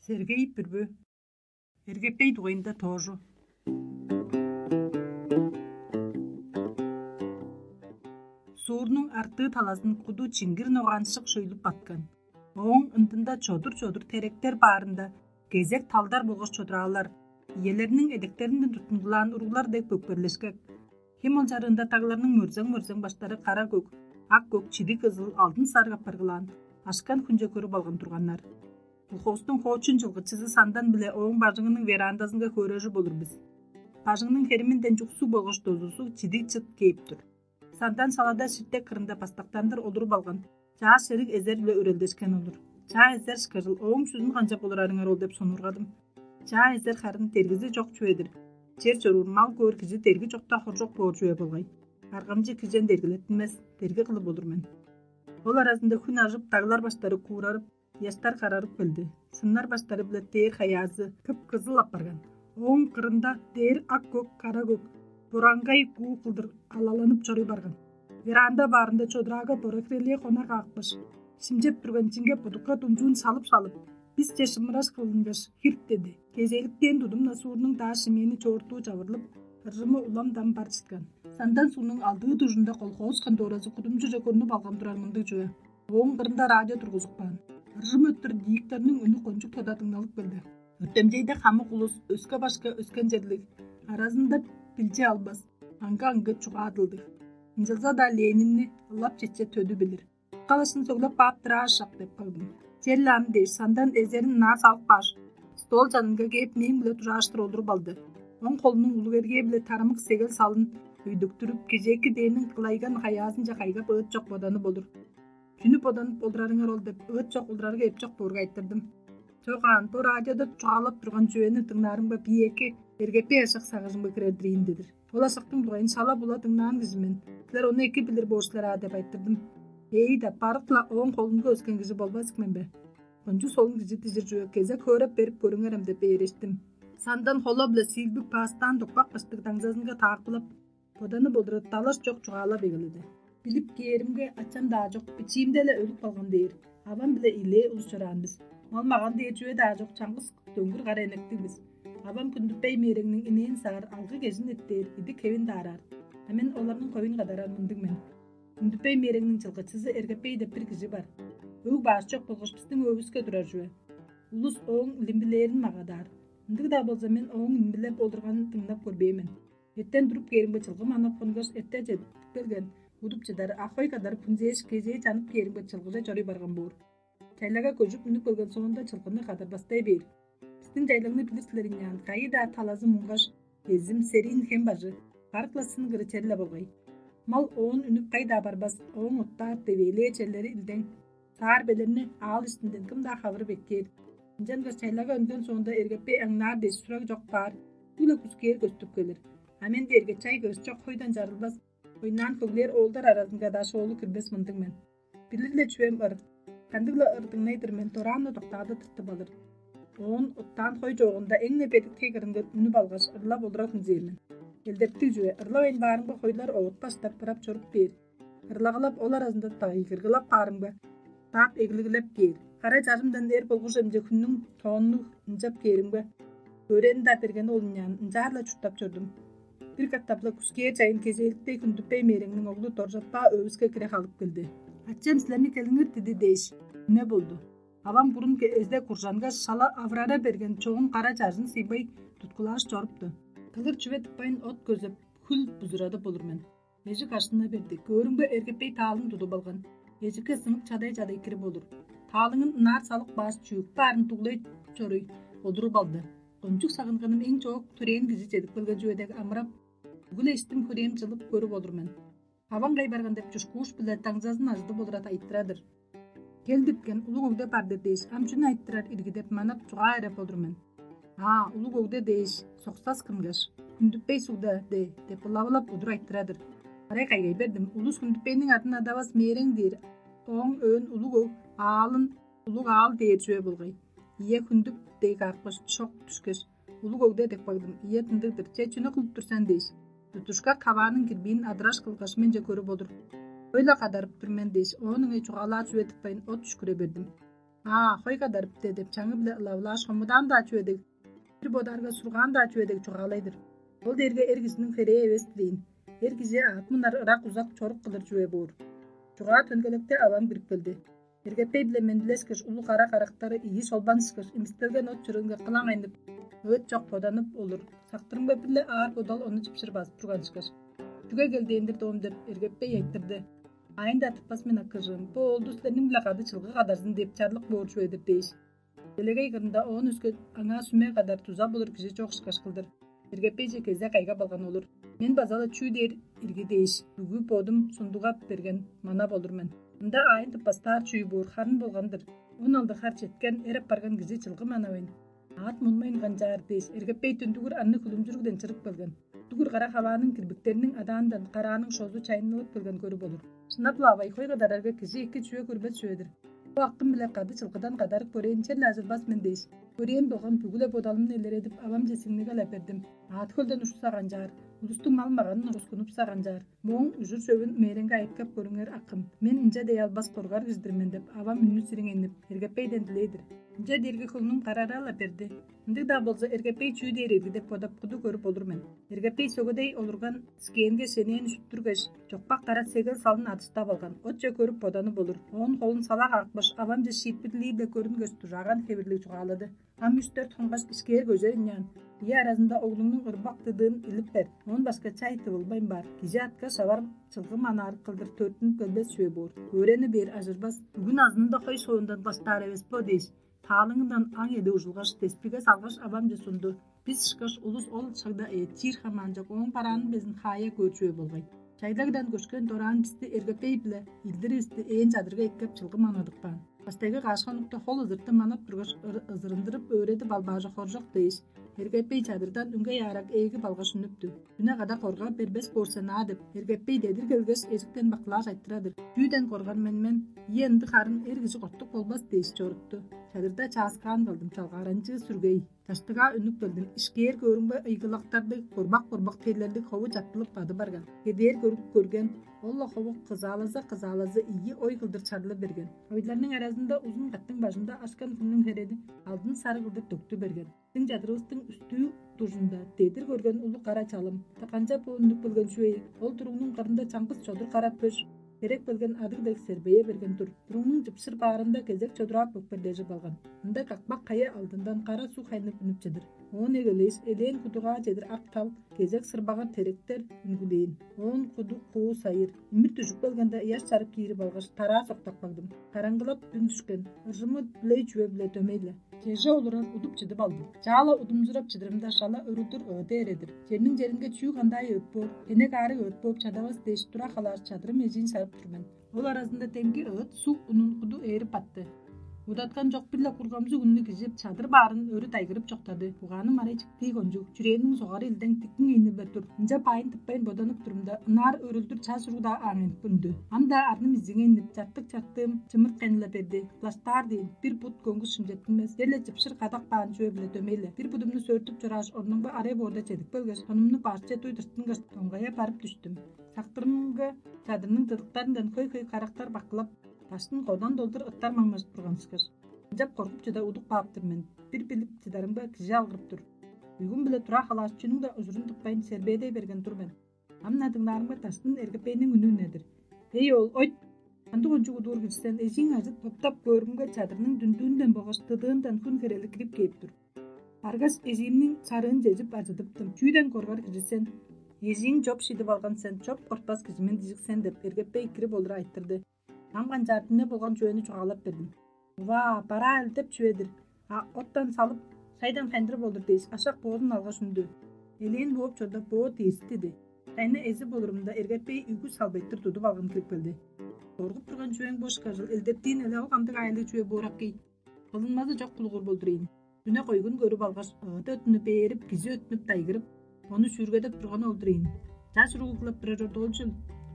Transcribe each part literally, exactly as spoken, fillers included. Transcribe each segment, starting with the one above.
Сергей Бүрбү. Эргепей дугайында тоожу. Суурнуң артыы талазын куду чиңгир ногаанчык шөйлүп баткан. Ооң ындында чодур-чодур теректер баарында кезек талдар болгаш чодураалар, иелерниң эдектеринден туттундулаан уруглар дег бөкперлешкек. Хем ол чарыында тагларның мөрзең-мөрзең баштары кара көк, ак көк, чидиг кызыл, алдын сарыг апаргылаан, ашкан хүнче көрүп алган турганнар. Колхоостуң хоочун чылгычызы Сандан биле ооң бажыңының верандазынга хөөрежип олур бис. Бажыңның хериминден чуксуг болгаш дозузу чидиг чыт кээп тур. Сандан салада ширтек кырында бастактандыр олуруп алган, чаа шериг эзер-биле өрелдешкен олур. Чаа эзер ышкажыл ооң чүзүн канчап олурарыңар ол деп сонуургадым. Чаа эзер харын дергизи чок чүве-дир. Чер чоруур мал көөр кижи дерги чокта хоржок боор чүве болгай. Аргамчы кижен дергилеттинмес, дерги кылып олур мен. Ол аразында хүн ажып, даглар баштары куурарып, ыяштар карарып келди. Сыннар баштары-биле дээр хаяазы кып-кызыл апарган. Ооң кырында дээр ак-көк, кара-көк, бораңгай гуу кылдыр алаланып чоруй барган. Веранда баарында чодураага боракирелээ хона каапкаш, шимчеп турган чиңге будукка думчуун салып-салып, бисче шымыраш кылынгаш, хирт деди. Кезээликтээн тудум-на суурнуң даа шимээни чоортуу чавырлып, ыржымы улам-дам бар чыткан. Сандан суунуң алдыы дужунда колхоз конторазы кудумчуже көрнүп алган турар мындыг чүве. Ооң кырында радио тургузуп каан. Ыржым өттүр дииктерниң үнү кончуг тода дыңналып келди. Өртемчейде хамык улус өске-башка өскен черлиг, аразында билчи албас, аңгы-аңгы чугаадылдыг. Ынчалза-даа Ленинни ылап четче төдү билир. Калашын сөглеп кааптыр аашак деп кагдым. Черле ам дээш, Сандан эзерин ынаар салып кааш, стол чанынга кээп, мээң-биле дужааштыр олуруп алды. Оң холунуң улуг эргээ-биле тарамык сегел салын өйдүктүрүп, кежээки дээниң кылайган хаяазынче кайгап ыыт чок боданып олур. Чүнү боданып олурарыңар ол деп ыыт чок улурарга эпчок боорга айтырдым. Чок аан, бо радиода чугаалап турган чүвени дыңнаарымга бии эки эргеппей ашак сагыжымга кирер-дир ийин дедир. Ол ашактың дугайын шала-була дыңнаан кижи мен. Силер ону эки билир боор силер аа деп айтырдым. Ээйда, барык-ла ооң холунга өскен кижи болбас мен бе? Кончуг солун кижи дижир чүве кезек хөөреп берип көрүңерем деп ээрештим. Сандан холо-биле сиилбик паастаан докпак баштыг даңзазынга таакпылап, боданып олурар далаш чок чугаалап эгеледи. Билип кээримге, ачам-даа чок, бичиимде-ле өлүп калган дээр. Авам-биле илээ улус чораан бис. Мал-маган дээр чүве-даа чок, чаңгыс дөңгүр кара энектиг бис. Авам Күндүпей Мээреңниң инээн саар алгы кежин эттээр, идик-хевин даараар. А мен оларның хоюн кадарар мындыг мен. Күндүпей Мээреңниң чылгычызы Эргепей деп бир кижи бар. Өг-бааш чок болгаш бистиң өөвүске турар чүве. Улус ооң илимбилээрин магадаар. Ындыг-даа болза, мен ооң илимбилеп олурганын дыңнап көрбээн мен. Эртен туруп кээримге чылгы манап хонгаш, эрте чедип келген, удуп чыдар, а хой кадарып хүнзээш, кезээ чанып кээримге чылгыже чоруй барган боор. Чайлага көжүп үнүп келген соонда чылгыны кадарбастай бээр. Бистиң чайлагны билир силер ийин аан, кайы-даа талазы муңгаш, эзим, сериин хем бажы, барык-ла сын кыры черле болгай. Мал оон үнүп кайда барбас, ооң оттаар девээлээ черлери илдең. Саар белерни аал иштинден кым-даа хавырып эккээр. Ынчангаш чайлага өнген соонда эргеппей аңнаар дээш сураг чок баар, бүгү-ле күскээр көстүп келир. А мен дээрге чай кыш чок хойдан чарылбас, ойнаан хөглээр оолдар аразынга-даа шоолу кирбес мындыг мен. Билир-ле чүвем ыр. Кандыг-ла ыр дыңнай-дыр мен, дораан-на доктаады тыртып алыр. Оон оттаан хой чоогунда эң-не бедик тей кырынга үнүп алгаш, ырлап олура хүнзээр мен. Элдептиг чүве, ырлавайн баарымга хойлар овут баштап, ырап чоруп бээр. Ырлагылап, ол аразында дагыйгыргылап баарымга, таап эглигилеп кээр. Кара чажымдан эр болгуш эмче хүннүң тооннуг ынчап кээримге, өөрени-даа берген ол ынчаан ынчаар-ла чурттап чордум. Бир катап-ла күскээр чайын кезээликтей Хүндүпей Мээреңниң оглу Доржатпаа өвүске кире халып келди. «Ачам силерни келиңер диди» дээш, үне болду. Авам бурун эзде куржангаш, шала авырара берген чогун кара чажын сыйбай туткулааш чорупту. Кылыр чүве тыппайн от көзеп, хүл бузурадып болур мен. Эжик ашына берди. Көөрүмге, эргепей таалын тудуп алган. Эжикке сынып чадай-чадай кирип олур. Таалыңын ынаар салып кааш, чүък баарын дуглай чоруй, олуруп алды. Кончуг сагынганым эң чоок төрээн кижи чедип келген чүве дег амырап, бүгү-ле иштим-хүрээм чылып көрүп олур мен. Аваң кай барган деп чушкууш-биле даңзазын ажыдып олурат айтырар-дыр. Кел диткен улуг өгде бар-дыр дээш, ам чүнү айтырар ирги деп манап чугаа эреп олур мен. Аа, улуг өгде дээш, соксас кынгаш, Хүндүппей сугда де деп ылавылап удур айтырар-дыр. Арай кайгай бердим, улус Хүндүппейниң адын адавас мээрең дээр, ооң өөн улуг өг, аалын улуг аал дээр чүве болгай. Ийе, Хүндүп дег каапкаш, шок дүшкеш, улуг өгде деп кагдым. Ийе, тындыг-дыр, че чүнү кылып тур сен дээш, тутушка кавааның кирбиин адыраш кылгаш, менче көрүп олур. Өй-ла кадарып тур мен дээш, оон ыңай чугаалаар чүве тыппайн, от үшкүре бердим. Аа, хой кадарыпты деп чаңы-биле ылавылааш, хомудаан-даа чүве дег, бир бодаарга сургаан-даа чүве дег чугаалай-дыр. Ол дээрге эр кижиниң херээ эвес-тир ийин. Эр кижи аът мунар ырак-узак чорук кылыр чүве боор. Чугаа төнгелекте авам кирип келди. Эргепей-биле мендилешкеш, улуг кара карактары ийи шолбан ышкаш, имистелген от чырыынга кылаң айнып, ыыт чок боданып олур. Сактырымга бир-ле аар бодал ону чыпшыр базып турган ышкаш: «Чүге келдээн-дир, доом?» — деп, Эргепей айтырды. «Аайын-даа тыппас мен, акыжыым. Бо оолду силерниң-биле кады чылгы кадарзын деп чарлык боор чүве-дир» — дээш. Делегей кырында оон өске аңаа сүме кадар дуза болур кижи чок ышкаш кылдыр. Эргепейже кезек кайгап алган олур. Мен база-ла чүү дээр ирги дээш, бүгү бодум сундугап берген манап олур мен. Ында аайын тыппастаар чүү боор, харын болган-дыр. Он алды хар четкен, эр апарган кижи чылгы манавайн, аът мунмайн канчаар дээш, Эргепей дүндүгүр анны хүлүмчүрүгден чырып келген. Дүгүр кара хавааның кирбиктериниң адаандан карааның шозу чайыннылып келген көрүп олур. Шынап-ла, авай, хой кадарарга кижи эки чүве көрбес чүве-дир. Бо акым-биле кады чылгыдан кадарып көрээйн, черле ажырбас мен дээш, көрээм болган бүгү-ле бодалымны илередип, авамче сиңниге-ле бердим. Аът хөлден ушса канчаар, улустуң мал-маганын орускунупса канчаар, мооң ужур-чөвүн мээреңге айыткап көрүңер, акым. Мен ынча дей албас коргар кижи-дир мен» — деп, авам үннү сириңейнип, Эргепейден дилей-дир. Ынча дээрге хөңнүм карара-ла берди. Ындыг-даа болза, Эргепей чүү дээр ирги деп бодап, куду көрүп олур мен. Эргепей сөгедей олурган скээнге шенээн шүттүргеш, чокпак кара сегел салын адыштап алган, отче көрүп боданып олур. Оон холун сала каапкаш, авамче шиитпирлии-биле көрүнгеш, дужааган хевирлиг чугаалады: «Ам үш-дөрт хонгаш ишкээр көжер ыйнаан. Ийи аразында оглуңнуң ырбак дыдыын илип бер. Оон башка чай тывылбайн баар. Кижи аткаш авар чылгы манаар кылдыр төрүттүнүп келбес чүве боор. Өөрени бээр ажырбас. Бүгүн азынында хой шоондан баштаар эвес бо» — дээш, таалыңындан аң эди ужулгаш, деспиге салгаш, авамче сунду. Бис ышкаш улус ол шагда эът чиир хамаанчок, ооң бараанын безин хаая көөр чүве болгай. Чайлагдан көшкен дораан бисти Эргепей-биле илдиривисти ээн чадырга эккеп, чылгы манадып каан. Баштайгы каш хонукта хол ызыртып манап тургаш, ыр-, ызырындырып өөредип албаажы хоржок дээш, Эргепей чадырдан үңгей аарак ээги балгаш үнүптү. «Дүне када корга бербес боор сен аа» — деп, Эргепей дедир келгеш, эжиктен бакылааш айтырар-дыр: «Чүүден коргар мен мен? Ийе, ындыг харын эр кижи кортук болбас» — дээш чорупту. Чадырда чааскаан калдым, чалгааранчыы сүргей. Даштыгаа үнүп келдим. «Ишкээр көөрүңбе, ыйгылактарлыг, корбак-корбак терлерлиг хову чаттылып бады барган. Кедээр көрүп көрген, ол-ла хову кызаалаза-кызаалаза ийи ой кылдыр чарлы берген. Ойларның аразында узун каттың бажында ашкан хүннүң херели алдын сары кылдыр төктү берген. Биздиң чадырывыстың үстүү дужунда дедир көрген улуг кара чалым. Та канчап бо үнүп келген чүве ийик? Ол туругнуң кырында чаңгыс чодур кара пөш херек келген адыг дег сербее берген тур. Туругнуң чыпшыр баарында кезек чодураап көкперлежип алган. Ында какпак кая алдындан кара суг хайнып үнүп чыдыр. Оон эгелээш, элээн кудугаа чедир ак тал, кезек сырбагыр теректер үнгүлээн. Оон куду куу сайыр. Имир дүжүп келгенде ыяш чарып киирип алгаш, тараа соктап кагдым. Караңгылап дүн дүшкен. Ыржымы дүлей чүве-биле дөмей-ле. Чеже олурар удуп чыдып алдым. Чаала удумзурап чыдырымда шала өрүлдүр ыыды эредир. Черниң черинге чүү кандай ыыт боор, хенек аарыг ыыт бооп чадавас дээш тура халааш чадырым эжиин сарып тур мен. Ол аразында демги ыыт суг унун куду ээрип батты. Удаткан чок бир-ле кургамзыг үннү кижип, чадыр баарын өрү дайгырып чоктады. Угааны марай чиктии кончуг, чүрээниң согары илдең тиктиң ийни-биле тур. Ынча баайын тыппайн боданып турумда, ынаар өрүлдүр чаш уруг-даа ааңайнып үнүдү. Ам-даа арным изиңейнип, чартык-чартыым чымырт кайнылап берди. Плаштаар дээн, бир бут көңгүс шимчеттинмес, дерле чыпшыр кадак баан чүве-биле дөмей-ле. Бир будумну сөөртүп чорааш, орнумга арай боорда чедип келгеш, хонумну башче дуй дыртынгаш, доңгая барып дүштүм. Сактырымга чадырның дыдыктарындан хөй-хөй карактар баккылап, даштын кодан долдур ыттар маңнажып турган ышкаш. Ынчап коргуп чыда удуп кааптыр мен. Бир билип чыдарымга кижи алгырып тур. Бүгүн-биле тура халааш, чүнүң-даа ужурун тыппайн, сербээдей берген тур мен. Ам-на дыңнаарымга даштын эргепейниң үнү үнедир: «Эй, оол, ойт! Кандыг кончуг удуур кижи сен? Эжиң ажыт боптап көөрүмге, чадырның дүндүүнден болгаш дыдыындан хүн херели кирип кээп тур. Баргаш, эжиимниң сарыын чежип ажыдыптым. Чүүден коргар кижи сен? Эжииң чоп шидип алган сен, чоп кортпас кижи мен дижик сен» — деп, эргепей кирип олура айтырды. Ам канчаар, дүне болган чүвени чугаалап бердим. «Ува, бараа илдеп чүве-дир. А оттан салып, шайдан хайындырып олур» — дээш, ашак боозун алгаш үндү. Элээн бооп чорда, боо дээстиди. Шайны эзип олурумда, эргепей үгү салбайтыр тудуп алган кирип келди. «Коргуп турган чүвең бо ышкажыл, илдептиин эле ол кандыг аайлыг чүве боор акый? Кылынмазы чок кулугур болдур ийин. Дүне койгун көрүп алгаш, ыыды өттүнүп бээрип, кижи өттүнүп дайгырып, ону шүүргедеп турганы ол-дур ийин. Чаш уруглап турар чорду ол чүл?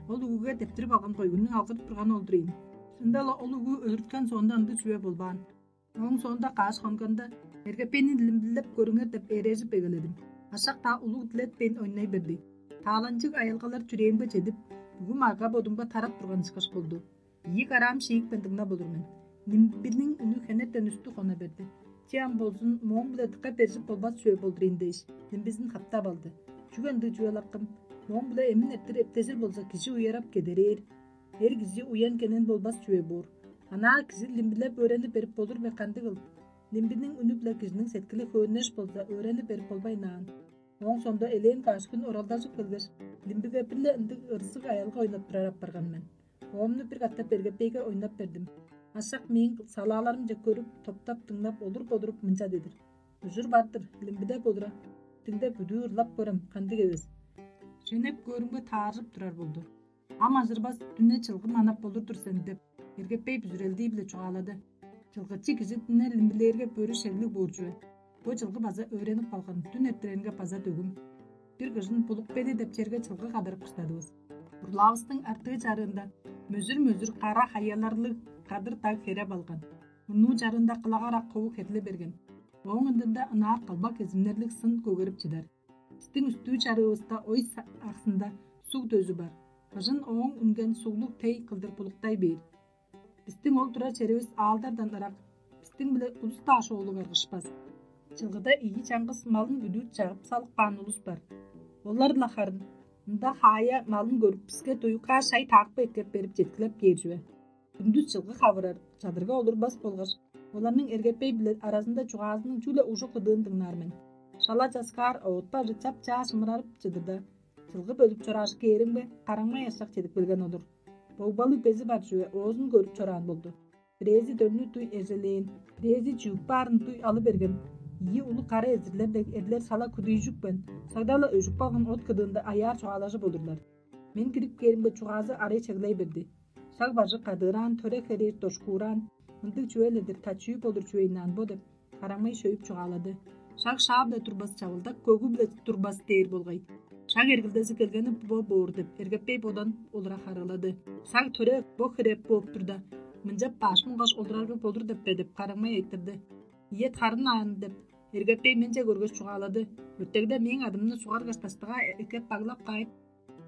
Ол угуге дептирип алган койгуннуң алгырып турганы ол-дур ийин. Шында-ла ол угу өлүрткен соонда ындыг чүве болбаан». Ооң соонда каш хонганда, эргепейни илимдилеп көрүңер деп ээрежип эгеледим. Ашак-даа улуг дилетпейн ойнай берди. Тааланчыг аялгалар чүрээмге чедип, бүгү марга бодумга тарап турган ышкаш болду. Ийи караам шиикпен дыңнап олур мен. Нимбиниң үнү хенертен үстү хона берди. Че ам болзун, мооң-биле дыка бержип болбас чүве болдур ийин дээш, нимбизин хаптап алды. Чүге ындыг чүве-лаккым? Мооң-биле эмин эрттир эптежир болза, кижи уярап кедерээр. Эр кижи уян кенен болбас чүве боор. Анаа кижи нимбилеп өөренип берип болур бе, кандыгыл? Нимбиниң үнү-биле кижиниң сеткили хөөннеш болза, өөренип берип болбайн аан. Ооң соонда элээн каш хүн оралдажып келгеш, нимбиге бир-ле ындыг ырзыг аялга ойнап турар апарган мен. Оомну бир катап эргепейге ойнап бердим. Ашак мээң салааларымче көрүп, топтап дыңнап, олуруп-олуруп мынча дедир: «Ужур бар-дыр, нимбиде болура. Дыңда бүдүү ырлап көрем, кандыг эвес. Шенеп көөрүңбе тааржып турар болду. Ам ажырбас дүне чылгы манап болур-дур сен» — деп, эргепей бүзүрелдии-биле чугаалады. Чылгычы кижи дүне нимбилээрге бөрү шеглиг боор чүве. Бо чылгы база өөренип калган, дүн эртиренге база дөгүм. Бир кыжын Булук-Беди деп черге чылгы кадарып кыштадывыс. Урлаавыстың артыы чарыында мөзүр-мөзүр кара хаяларлыг кадыр даг хереп алган. Мурнуу чарыында кылагар ак хову херли берген. Ооң ындында ынаар калбак эзимнерлиг сын көгерип чыдар. Бистиң үстүү чарыывыста ой са- аксында суг дөзү бар. Быжын ооң үнген суглуг тей кылдыр булуктай бээр. Бистиң ол турар черивис аалдардан ырак, бистиң-биле улус-даа шоолуг аргышпас. Чылгыда ийи чаңгыс малын бүдүү чагып салып каан улус бар. Олар-ла харын ында хаая малын көрүп, биске дуюкка шай-таакпы эккеп берип, четкилеп кээр чүве. Хүндүс чылгы хавырар, чадырга олурбас болгаш, оларның эргепей-биле аразында чугаазының чүгле ужук кыдыын дыңнаар мен. Шала часкаар оът бажы чап-чаа шымырарып чыдырда, чылгы бөлүп чорааш кээримге, караңмай ашак чедип келген олур. Богбалы бези бар чүве оозун көрүп чораан болду. Бирээзи дөрнү дуй эжелээн, бирээзи чүък баарын дуй алы берген. Ийи улуг кара эзирлер дег эрлер шала күдүйжүкпен, сагда-ла өжүп калган от кыдыында аяар чугаалажып олурлар. Мен кирип кээримге, чугаазы арай чеглей берди. Шаг бажы кадыыраан, төре херээр дошкуураан, мындыг чүве-ле-дир, тачыы болур чүвейн аан бо деп, караңмай шөйүп чугаалады. Шаг шаа-биле турбас, чавылдак көгү-биле турбас дээр болгай. Шаг эргилдези келгени бо боор деп, эргеппей бодан олура харыылады. Шаг төре бо хереп бооп турда, мынчап баш муңгаш олурарга болур деп бе деп, караңмай айтырды. Ийе, харын аан деп, эргеппей менче көргеш чугаалады. Өртегде мээң адымны сугаргаш, даштыгаа эккеп баглап каайып,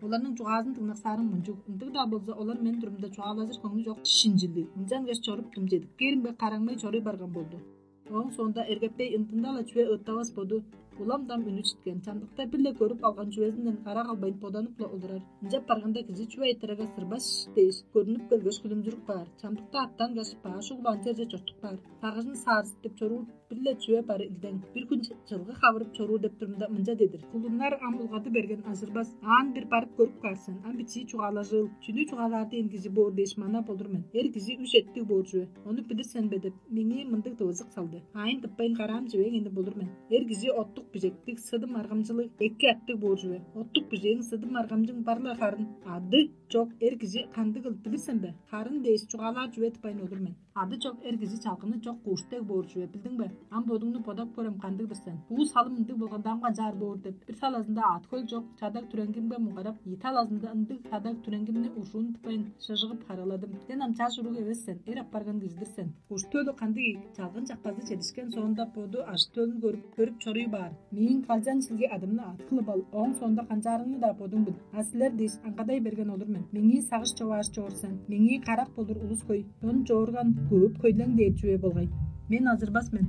оларның чугаазын дыңнаксаарым мунчуг. Ындыг-даа болза, олар мен турумда чугаалажыр хөңнү чок шинчилиг. Ынчангаш чоруптум, чедип кээримге, караңмай чоруй барган болду. Ооң соонда эргеппей ындында-ла чүве ыыттавас боду, улам-дам үнү читкен, чамдыкта бир-ле көрүп алган чүвезинден кара калбайн боданып-ла олурар. Ынчап барганда, кижи чүве айтырарга сырбаш дээш көрүнүп келгеш, хүлүмчүрүп каар. Чамдыкта аттангаш, баш углаан черже чортуп каар. Сагыжын саарзыптып чоруур бир-ле чүве бар илдең. Бир хүн чылгы хавырып чоруур деп турумда, мынча дедир: «Кулуннар ам улгады берген, ажырбас. Аан бир барып көрүп каар сен. Ам бичии чугаалажыыл. Чүнү чугаалаар дээн кижи боор дээш манап олур мен. Эр кижи үш эттиг боор чүве. Ону билир сен бе?» — деп, меңээ мындыг тывызык салды. Аайын тыппайн караам чивең энип олур мен. Эр кижи оттук бижектиг, сыдым аргамчылыг, эки аттыг боор чүве. Оттук бижээң, сыдым аргамчың бар-ла харын. Ады чок эр кижи кандыгыл, билир сен бе? Харын дээш чугаалаар чүве тыппайн олур мен. Ады чок эр кижи чалгыны чок куш дег боор чүве, билдиң бе? Ам бодуңну бодап көрем, кандыг-дыр сен. Буу салым ындыг болганда, ам канчаар боор деп, бир талазында аът-хөл чок чадаг-түренгимге муңгарап, ийи талазында ындыг чадаг-түренгимни ужуун тыппайн шыжыгып харыыладым. Сен ам чаш уруг эвес сен, эр апарган кижи-дир сен. Куш-төлү кандыг ийик, чалгын чакпазы чедишкен соонда боду ажы-төлүн көрүп, көрүп чоруй баар. Мээң калчан шилги адымны аът кылып ал, ооң соонда канчаарыңны-даа бодуң бил. А силер дээш аңгадай берген олур мен. Меңээ сагыш човааш чоор сен, меңээ карак болур улус хөй, чон чоорган көвүп хөйлең дээр чүве болгай. Мен ажырбас мен.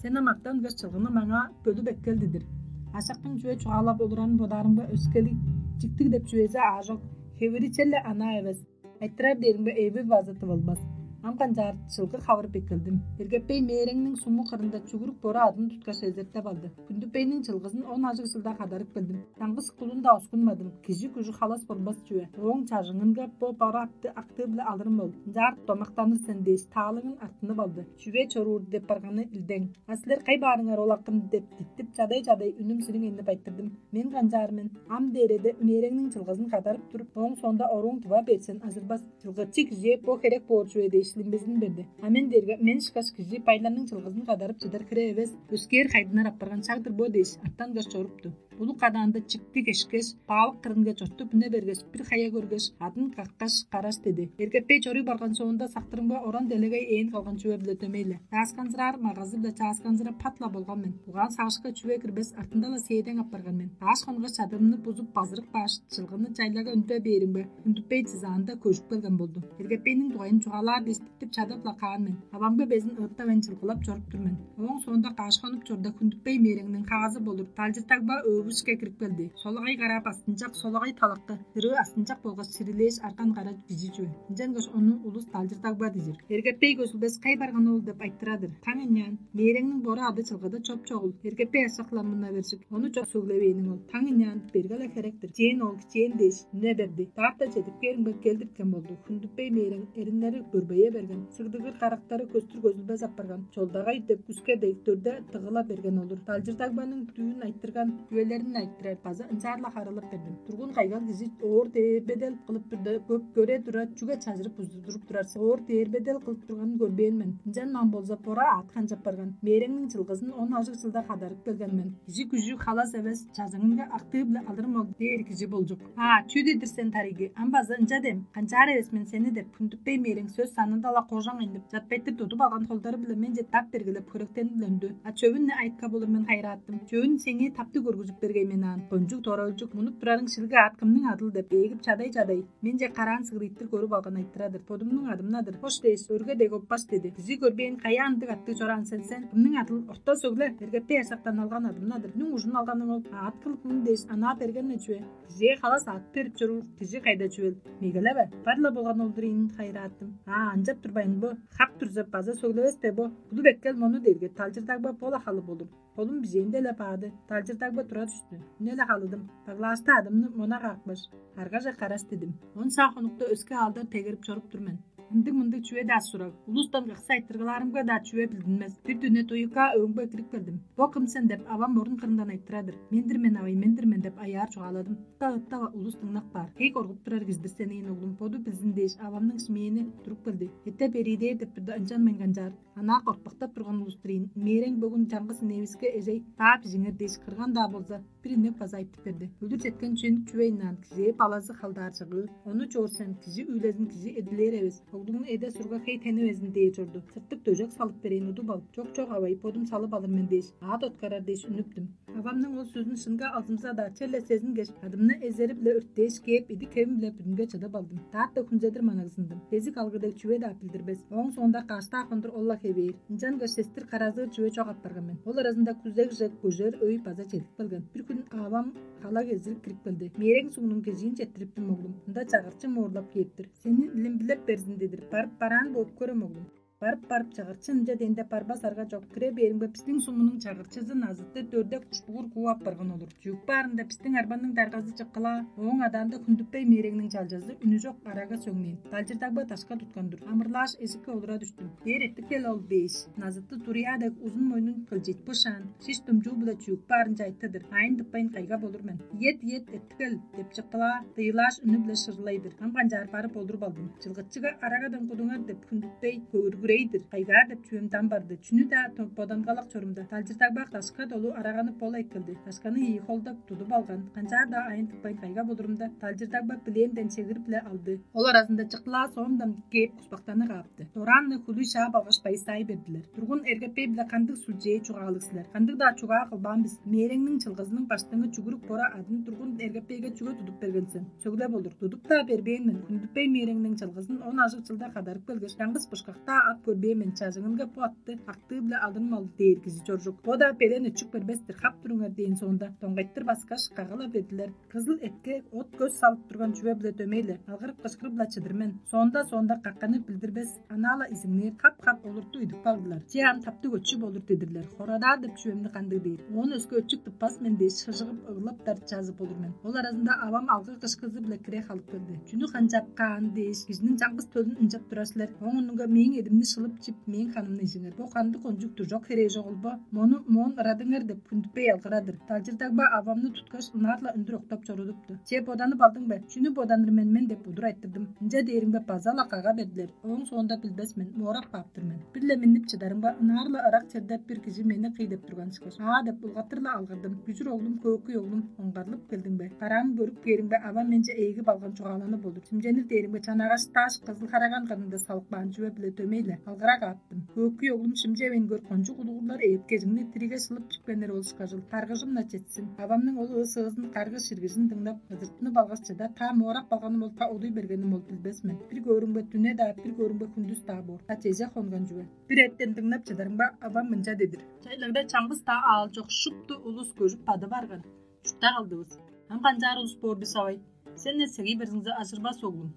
Сен ам артангаш чылгыны маңаа бөлүп эккел дидир. Ашактың чүве чугаалап олурарын бодаарымга, өскелиг, чиктиг деп чүвези аажок, хевири черле анаа эвес. Айтырар дээримге, эви база тывылбас. Ам канчаар чылгы хавырып эккелдим. Эргеппей мээреңниң суму кырында чүгүрүк бора адын туткаш эзертеп алды. Күндүпейниң чылгызын он ажыг чылда кадарып келдим. Чаңгыс кулун-даа оскунмадым. Кижи күжү халас болбас чүве. Ооң чажыңынга бо бора атты актыы-биле алырым ол. Ынчаар домактаныр сен дээш, таалыңын артынып алды. Чүве чоруур деп барганы илдең. А силер кай баарыңар ол акын деп диттип, чадай-чадай үнүм сириң энип айтырдым. Мен канчаар мен? Ам дээреде үнээреңниң чылгызын кадарып туруп, ооң соонда орууң тыва берсен, ажырбас. Чылгычы кижээ бо херек боор чүве дээш, лимбезин берди. А мен дээрге, мен ышкаш кижи байларның чылгызын кадарып чыдар хире эвес, өскээр хайдынар апарган шаг-дыр бо дээш, артангаш чорупту. Улуг кадаанда чиктиг эшкеш, баалык кырынга чортуп үне бергеш, бир хая көргеш, адын каккаш, караш деди. Эргеппей чоруй барган соонда, сактырымга оран делегей ээн калган чүве-биле дөмей-ле. Чаасканзыраар магазы-биле чаасканзырап пат-ла болган мен. Угаан-сагышка чүве кирбес, артында-ла сээдең апарган мен. Ааш хонгаш чадырымны бузуп, базырык бааш, чылгыны чайлага үндүре бээримге, Хүндүпей чызаанда көжүп келген болду. Эргеппейниң дугайын чугаалаар дээш, Деп чадап-ла каан мен. Авамга безин ыыттавайн чылгылап чоруп тур мен. Ооң соонда каш хонук чорда Хүндүппей мээреңниң хаазы болур Талчырдагба өвүшке кирип келди. Солагай караа бастынчак, солагай талакты, дырыы астынчак болгаш сирилээш арган кара кижи чүве. Ынчангаш ону улус Талчырдагба дижир. Эргеппей көзүлбес кай барган ол деп айтырадыр. Таң ынчаан мээреңниң бора ады чылгыда чоп-чогул. Эргеппей ашак-ла мына бержик. Ону чок сөглевээниң ол. Таң ынчаан берге-ле херек-тир. Чээн ол, чээн дээш, үне берди. Даатта чедип кээримге келдирткен болду. Хүндүппей мээрен эриннери бөрбейе берген. Сыгдыгыр карактары көстүр көзүлбес апарган. Чолдагай деп күске дег дөрде тыгыла берген олур. Талчырдагбаның дүүн айтырган үелерин айтырар база ынчаар-ла харылап бердим. Тургун кайгал кижи оор дээрбедел кылып турда көп көре тура чүге чажырып узудуруп турар сен? Оор дээрбедел кылып турганын көрбээн мен. Ынчан ман болза бора аат канчап барган. Мээреңниң чылгызын он ажыг чылда хадарып келген мен. Кижи күжү халас эвес, чазыңынга актыы-биле алырым ол дээр кижи болчук. А, чүү дедир сен, тарыйгы? Ам база ынча дем, канчаар эвес мен сени деп, Хүндүппей мээрең сөс санында-ла кожаң айнып, чатпайтыр тудуп алган холдары-биле менче тап бергилеп, хөректенип-ле үндү. А чөвүн-не айтка болур мен хайрааттым. Чөвүн сеңээ таптыг көргүзүп бергей мен аан. Кончуг доралчук, мунуп турарың шилиг аат кымның адыл деп, эгип чадай-чадай. Менче караан сыгырыйтыр көрүп алган айтырадыр. Бодумнуң адымнадыр. Хош дээш, өрге дег оппаш деди. Кижи көрбээн каяа ындыг аттыг чораан сен сен? Кымның адыл? Орта сөгле, эргетпей ашактан алган адымнадыр. Нүң ужун алганың ол? Аат кылып мын дээш, анаа берген-не чүве? Кижээ халас аат берип чоруур кижи кайда чүвел? Мегелеве, бар-ла болган олдур ийин хайырааттым. А, ынчап турбайн бо, хап турза база сөглевес бе бо? Булуп эккел мону дээрге талчырдагба бо-ла халы болур. Холум бижээнде-ле баады, талчырдагба тура түстү. Үне-ле халыдым. Баглаашта адымны мона каапкаш, аргаже караш дидим. Он саа хонукта өске аалдар тегерип чоруп тур мен. Ындыг-мындыг чүве-даа сураг. Улустан кыкса айтыргылаарымга-даа чүве билдинмес. Бир дүне туйукка өөңбе кирип келдим. Бо кым сен деп, авам орун кырындан айтырадыр. Мен-дир мен, авай, мен-дир мен деп аяар чугааладым. Ытта-ытта улус дыңнап каар. Хей коргуп турар кижи-дир сен, ээн оглум, боду билзин дээш, авамның шимээни туруп келди. Эте бериидээр деп турда, ынчан мен канчаар. Анаа кортпактап турган улус-тур ийин. Мээрең бөгүн чаңгыс иневиске эжей баа бижиңер дээш кырган-даа болза, бир инек база айтып берди. Өлүр четкен чүънүк чүвейн аан, кижээ балазы халдаар чыгыы. Ону чоор сен, кижи үүлезин кижи эдилээр эвес. Оглуңну эде-сурга хей тенивезин дээр чорду. Сыртык дөжек салып берейн, удуп ал. Чок, чок, авай, бодум салып алыр мен дээш, аът откарар дээш үнүптүм. Авамның ол сөзүн шынга алзымза-даа, черле сезингеш, адымны эзери-биле өрттээш кээп, идик-хевим-биле бүдүнге чыдып алдым. Даатта хүнзедир манагзындым. Кезик алгы дег чүве-даа билдирбес. Ооң соонда каштаа хондур ол-ла хевээр. Ынчангаш сестир каразыыр чүве чок апарган мен. Ол аразында күзегже көжер өй база чедип келген. Бир хүн авам кала кезирип кирип келди. Мээрең сугнуң кежиин четтириптим, оглум. Ында чагырчы моорлап кээптир. Сени илимбилеп берзин дедир. Барып бараан бооп көрем, оглум. Барып-барып чагырчы ынча дээнде барбас арга чок. Кире бээримге бистиң сумунуң чагырчызы назытты дөрде кушпугур кууп апарган олур. Чүък баарында бистиң арбанның даргазы чыккылаа, ооң адаанда хүндүппей мээреңниң чалчазы үнү чок арага сөңнээн. Далчырдагба дашка туткан-дур. Амырлааш эжикке олура дүштүм. Бээр эртип кел ол дээш, назытты туруяа дег узун мойнун кылчыйтпышаан, шиш думчуу-биле чүък баарынче айтты-дыр. Аайын тыппайн кайга болур мен. Иет, иет, эртип кел деп чыктылаар, дыйылааш үнү-биле шырлай-дыр. Ам канчаар барып олуруп алдым. Чылгычыга арагадан кудуңар деп хүндүтпей, көвүргүрей-дир. Кайгаар деп чүвем дам барды. Чүнү-даа бодангалак чорумда, далчырдагбак дашка долу араганы бола эккелди. Дашканы ийи холдап тудуп алган. Канчаар-даа аайын тыппайн кайга болурумда, далчырдагбак билээнден чегирип-ле алды. Ол аразында чыктылаа соомдан кээп куспактаны каапты. Дораан-на хүлүй шаап алгаш байыстай бердилер. Тургун эргеппей-биле кандыг сүлчээ чугаалыг силер? Кандыг-даа чугаа кылбаан бис. Мээреңниң чылгызының баштыңы чүгүрүк бора адын тургун эргеппейге чүге тудуп берген сен? Сөглеп олур. Тудуп-даа бербээн мен. Хүндүппей мээреңниң чылгызын он ажыг чылда кадарып келгеш, чаңгыс бышкак-даа ап көрбээн мен. Чажыңынга бу атты актыы-биле алырым ол дээр кижи чоржук. Бо-даа белен өчүк бербес-тир, хап туруңар дээн соонда, доңгайтыр баскаш, кагала бердилер. Кызыл этке от-көс салып турган чүве-биле дөмей-ле, алгырып-кышкырып-ла чыдыр мен. Соонда-соонда какканы билдирбес, анаа-ла изиңнээр, хап-хап олурту идип кагдылар. Че, ам таптыг өчү болур дедирлер. Хорадаар деп чүвемни кандыг дээр? Оон өске өчүк тыппас мен дээш, шыжыгып, ыглап-даа чазып болур мен. Ол аразында авам алгы кышкызы-биле кире халып келди. Чүнү канчап каан дээш, кижиниң чаңгыс төлүн ынчап турар силер. Ооң мурнунга мээң эдимни шылып чип, мээң ханымны ижиңер. Бо кандыг кончуг дужок херээ чогул бо? Мону моон ырадыңар деп хүндүппей алгырадыр. Далчырдагба авамны туткаш, ынаар-ла үндүр октап чорудупту. Че, боданып алдың бе? Чүнү боданыр мен мен деп удур айтырдым. Ынча дээримге база-ла кага бердилер. Ооң соонда билбес мен, моорак баап-тыр мен. Бир-ле миннип чыдарымга, ынаар-ла ырак черде бир кижи мени кый деп турган ышкаш. Аа деп улгаттыр-ла алгырдым. Күжүр оглум, көөкүй оглум, оңгарлып келдиң бе? Караам көрүп кээримге, авам менче ээги балган чугааланы болур. Симченир дээримге, чанагаш, даш кызыл хараган кырында салып каан чүве-биле дөмей-ле. Алгырак ааттым. Көккүй оглум шимчевейн көр, кончуг улугурлар эъткежиңни тириге шылып чипкеннер ол ышкажыл. Каргыжым-на четсин. Авамның ол ыы-сыызын, каргыш ширгижин дыңнап, ыдыртынып алгаш чыда, та моорак балганым ол, та одуй бергеним ол билбес мен. Бир көөрүмге дүне-даа, бир көөрүмге хүндүс-даа боор. Та чеже хонган чүве. Бир эртен дыңнап чыдарымга, авам мынча дедир: «Чайлагда чаңгыс-даа аал чок, шупту улус көжүп бадып арган. Чуртта калдывыс. Ам канчаар улус боор бис, авай? Сен эсегий берзиңзе, ажырбас оглум.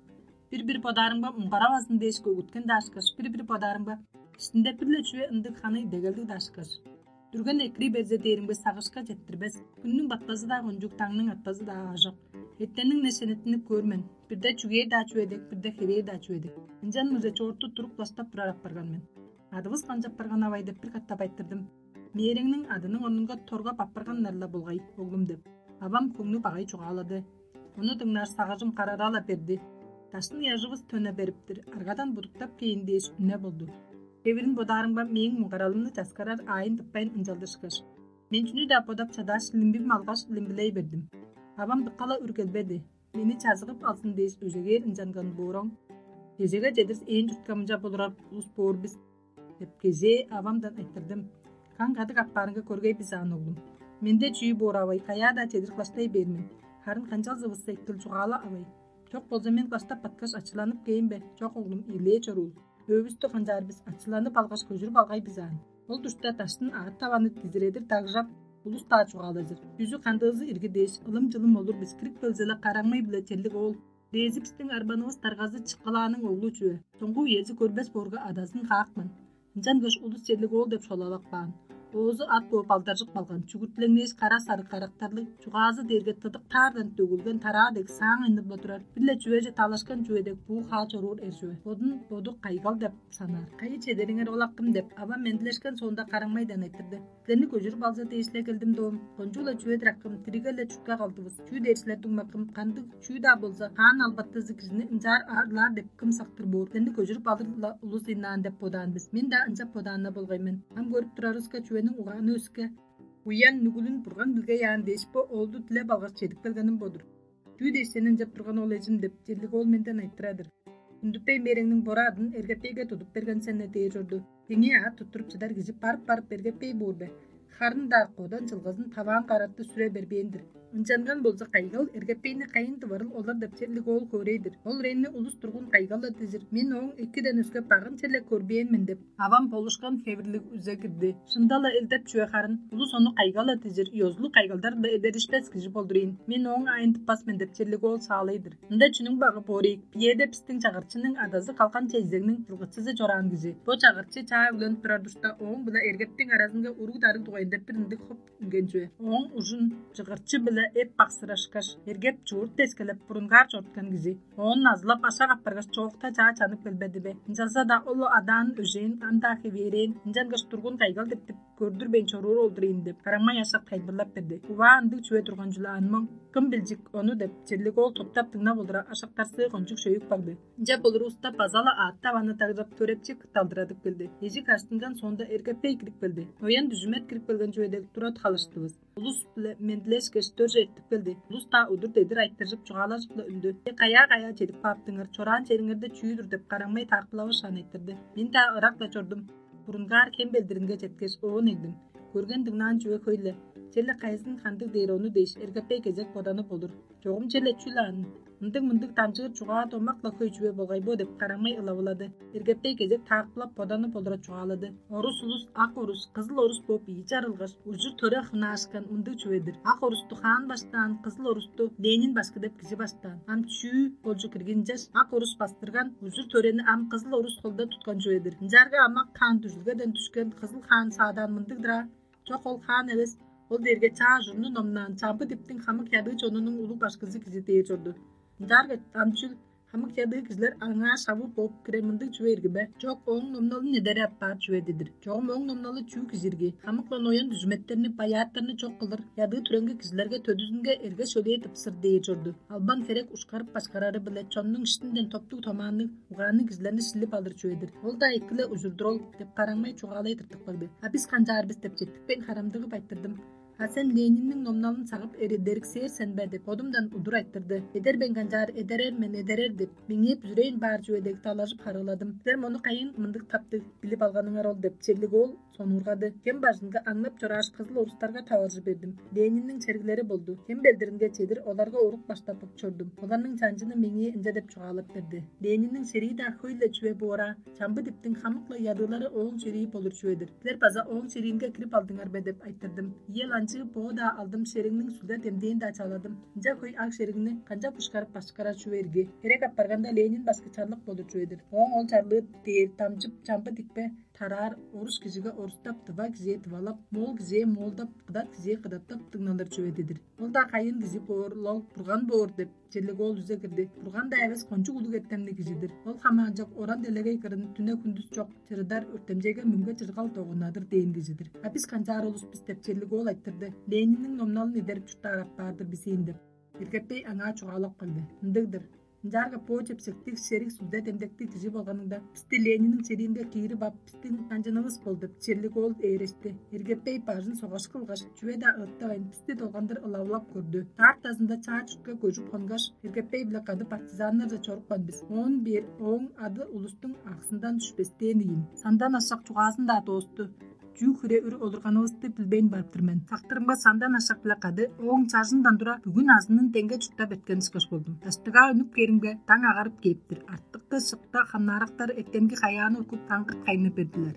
Бир-бир бодаарымга, муңгаравазын дээш көгүткен-даа ышкаш, бир-бир бодаарымга, иштинде бир-ле чүве ындыг ханы идегелдиг-даа ышкаш. Дүрген экирий берзе дээримге, сагышка четтирбес. Хүннүң батпазы-даа кончуг, даңның атпазы-даа аажок. Эртенниң не шенеттинип көөр мен. Бирде чүгээр-даа чүве дег, бирде хевээр-даа чүве дег. Ынчан мыже чоорту туруп, кылаштап турар апарган мен. Адывыс канчап барган, авай?» — деп бир катап айтырдым. «Мээреңниң адының орнунга торгап апарганнар-ла болгай, оглум», — деп, авам хөңнү багай чугаалады. Ону дыңнаар сагыжым карара-ла берди. Даштын ыяжывыс төне бериптир, аргадан будуктап кээйн дээш үне болду. Хевирин бодаарымга, мээң муңгаралымны часкарар аайын тыппайн ынчалдыр ышкаш. Мен чүнү-даа бодап чадааш, лимбим алгаш, лимбилей бердим. Авам дыка-ла үргелбеди. Мени чазыгып алзын дээш, өжегээр ынчанган боор оң. Кежеге чедир ээн чуртка мынча болурар улус боор бис деп, кежээ авамдан айтырдым. Каң кадык аппаарынга көргей бис аан, оглум. Менде чүү боор, авай, каяа-даа чедир кылаштай бээр мен. Харын канчалзывыс эттил чугаала, авай. Чок болза, мен кылаштап баткаш, ачыланып кээйн бе? Чок, оглум, ийилээ чоруул. Өөбүстү канчаар бис, ачыланып алгаш, көжүрүп алгай бис аан. Ол душта даштын аът-таваны дизиредир дагжап, улус-даа чугаалажыр. Чүзү-кандыызы ирги дээш, ылым-чылым олур бис, кирип келзе-ле, Караңмай-биле Черлиг-оол. Дээзи бистиң арбанывыс даргазы Чыккылааның оглу чүве. Соңгу үези көрбес боорга, адазын каапкан. Ынчангаш улус Черлиг-оол деп шолалап каан. Оозу ат бооп алдаржып калган, чүгүртүлеңнээш, кара-сарыг карактарлыг, чугаазы дээрге тыдык таардан төгүлген тараа дег саң айнып-ла турар, бир-ле чүвеже талашкан чүве дег буу-хаа чоруур эр чүве. Бодун боду кайгал деп санаар. «Кайы чедериңер, ол акым?» — деп, авам мендилешкен соонда, Караңмайдан айтырды. «Силерни көжүрүп алза дээш-ле келдим, доом. Кончуг-ла чүве-дир, акым, диригге-ле чуртка калдывыс. Чүү дээш силер, дуңмакым, кандыг чүү-даа болза, хаан албатызы кижини ынчаар аарлаар деп кым сактыр боор? Силерни көжүрүп алыр-ла улус ыйнаан деп бодаан бис. Мен-даа ынчап бодаан-на болгай мен. Ам көрүп турарывыска, чүвениң угааны өске. Уян, нүгүлүн Бурган билгей аан дээш, бо оолду дилеп алгаш, чедип келгеним бо-дур». «Чүү дээш сени ынчап турган ол, эжим?» — деп, Черлиг-оол менден айтырар-дыр. «Хүндүтпей мээрэңниң бора адын Эргепейге тудуп берген сен-не» — дээр чорду. Теңээ аът туттуруп чыдар кижи барып-барып Эргепей боор бе? Харын-даа кодан чылгызын таваан карартты сүре бербээн-дир. Ынчанган болза, кайгал Эргепейни кайын тыварыл олар деп Черлиг-оол хөөрей-дир. Ол үрейни улус тургун кайгал-ла дижир. Мен ооң экиден өске багын черле көрбээн мен деп, авам болушкан хевирлиг үзе кирди. Шында-ла элдеп чүве харын, улус ону кайгал-ла дижир, ёзулуг кайгалдар-ла эдеришпес кижи болдур ийин. Мен ооң аайын тыппас мен деп Черлиг-оол саалай-дыр. Ында чүнүң багы боор ийик? Биеде бистиң чагырчының адазы калган чейзегниң чылгычызы чораан кижи. Бо чагырчы чаа үгленип турар душта, ооң-биле Эргептиң аразынга уруг-дарыг дугайында бир ындыг хоп үнген чүве. Ооң ужун чыгырчы-биле эп баксырашкаш, Эргеп чуурт дескелеп, бурунгаар чоруткан кижи. Оон назылап ашак апаргаш, чоокта чаа чанып келбеди бе? Ынчалза-даа ол адаан өжээн ам-даа хевээрээн, ынчангаш тургун кайгал диктип көрдүрбейн чоруур ол-дур ийин деп, Караңмай ашак тайылбырлап берди. Уваа, ындыг чүве турган чүл аан моң. Кым билчик ону деп, Черлиг-оол топтап дыңнап олура, ашактарсыы кончуг шөйүп кагды. Ынча болур улуста база-ла аът-таваны дагжап, төрепчи кытталдырадып келди. Эжик аштынган соонда Эргепей кирип келди. Оян дүжүмет кирип келген чүве дег тура халыштывыс. Улус-биле мендилешкеш, дөрже эртип келди. Улус-даа удур-дедир айтыржып, чугаалажып-ла үндү. «Силер каяа-каяа чедип кааптыңар, чораан чериңерде чүү-дүр?» — деп, Караңмай таакпылавышаан айтырды. Мен-даа ырак-ла чордум. Бурунгаар Хем белдиринге четкеш, оон эгдим. Көрген-дыңнаан чүве хөй-ле. Черле кайызын кандыг дээр ону дээш, Эргепей кезек боданып олур. «Чогум черле чүл аан? Ындыг-мындыг дамчыыр чугаа домак-ла хөй чүве болгай бо?» — деп, Караңмай ылавылады. Эргепей кезек таакпылап, боданып олура чугаалады. «Орус улус ак орус, кызыл орус бооп ийи чарылгаш, ужур-төре хунаашкан мындыг чүве-дир. Ак орусту хаан баштаан, кызыл орусту Ленин башкы деп кижи баштаан. Ам чүү болчук иргинчеш, ак орус бастырган, ужур-төрени ам кызыл орус холда туткан чүве-дир. Ынчаарга ам ак хаан дүжүлгеден дүшкен, кызыл хаан саадаан мындыг-дыр аа? Чок, ол хаан эвес, ол дээрге чаа ужурну номнаан, чамбы диптиң хамык ядыы чонунуң улуг башкызы кижи» — дээр чорду. «Ынчаарга ам чүл, хамык ядыы кижилер аңаа шавы бооп кирер мындыг чүве ирги бе?» «Чок, ооң номналын эдере аппаар чүве-дир». «Чогум ооң номналы чүү кижи ирги? Хамык-ла ноян дүжүметтерни, баяаттарны чок кылыр, ядыы-түреңги кижилерге төдүзүнге эрге-шөлээ тыпсыр» — дээр чорду. Албан херек ушкарып башкарары-биле чоннуң иштинден топтуг-томаанныг, угаанныг кижилерни шилип алыр чүве-дир. Ол-даа эки-ле ужур-дур ол деп, Караңмай чугаалай тыртыпкагды. А бис канчаар бис деп четтикпейн харамдыгып айтырдым. А сен Ленинниң номналын сагып эредериксээр сен бе деп, бодумдан удур айтырды. Эдер мен канчаар, эдерер мен, эдерер деп, меңээ бүзүрээн баар чүве дег далажып харыыладым. Силер мону кайын мындыг таптыг билип алганыңар ол деп, черлиг ол сонуургады. Кем бажынга аңнап чорааш, кызыл орустарга таваржы бердим. Ленинниң чергилери болду. Кем белдиринге чедир оларга урук баштап чордум. Оларның чанчыны меңээ ынча деп чугаалап берди. Ленинниң шерии-даа хөй-ле чүве боора, чамбы диптиң хамык-ла ядыылары ооң шерии болур чүве-дир. Силер база ооң шериинге кирип алдыңар бе деп айтырдым. Иел анчыы боо-даа алдым, шериңниң сүлде демдээн-даа чаладым. Ынча хөй ак шериңни канчап бышкарып башкарар чүве ирги? Херек апарганда Ленин башкы чарлык болур чүве-дир. Ооң ол чарлыы дээр дамчып чамбы дикпе тараар, орус кижиге орустап, тыва кижээ тывалап, моол кижээ моолдап, кыдат кижээ кыдаттап дыңналыр чүве-дир. Ол-даа кайын кижи боор, ол бурган боор деп, черлиг ол үзе кирди. Бурган-даа эвес, кончуг улуг эртемниг кижи-дир. Ол хамаанчок оран делегей кырын дүне-хүндүс чок чырыдар, өртемчейге мөңге чыргал догунадыр дээн кижи-дир. А бис канчаар улус бис деп, черлиг ол айтырды. Ленинниң номналын эдерип чурттаар апаар-дыр бис ийин деп. Иргеппей аңаа чугаалап калды. Ындыг-дыр. Ынчаарга бо чепсектиг, шериг сүлде демдектиг кижи болганыңда, бисти Ленинниң шериинге киирип ап, бистиң чанчынывыс бол деп, черлиг ол ээрешти. Иргеппей бажын согаш кылгаш, чүве-даа ыттавайн, бисти долгандыр ылавылап көрдү. Даартазында чаа чүртке көжүп хонгаш, Иргеппей-биле кады партизаннарже чорупкан бис. Оон бээр ооң ады улустуң аксындан дүшпестээн ийин. Сандан ашак чугаазын-даа доосту. Чүү хүре үр олурганывысты билбейн барыптыр мен. Сактырымга сандан ашак-биле кады ооң чажындан тура бүгүн азынын деңге чурттап эрткен ышкаш болдум. Даштыгаа үнүп кээримге, даң агарып кээптир. Артыкты шыкта хамнаарактар эртемги каяаны ургуп, таңгырт кайнап бердилер.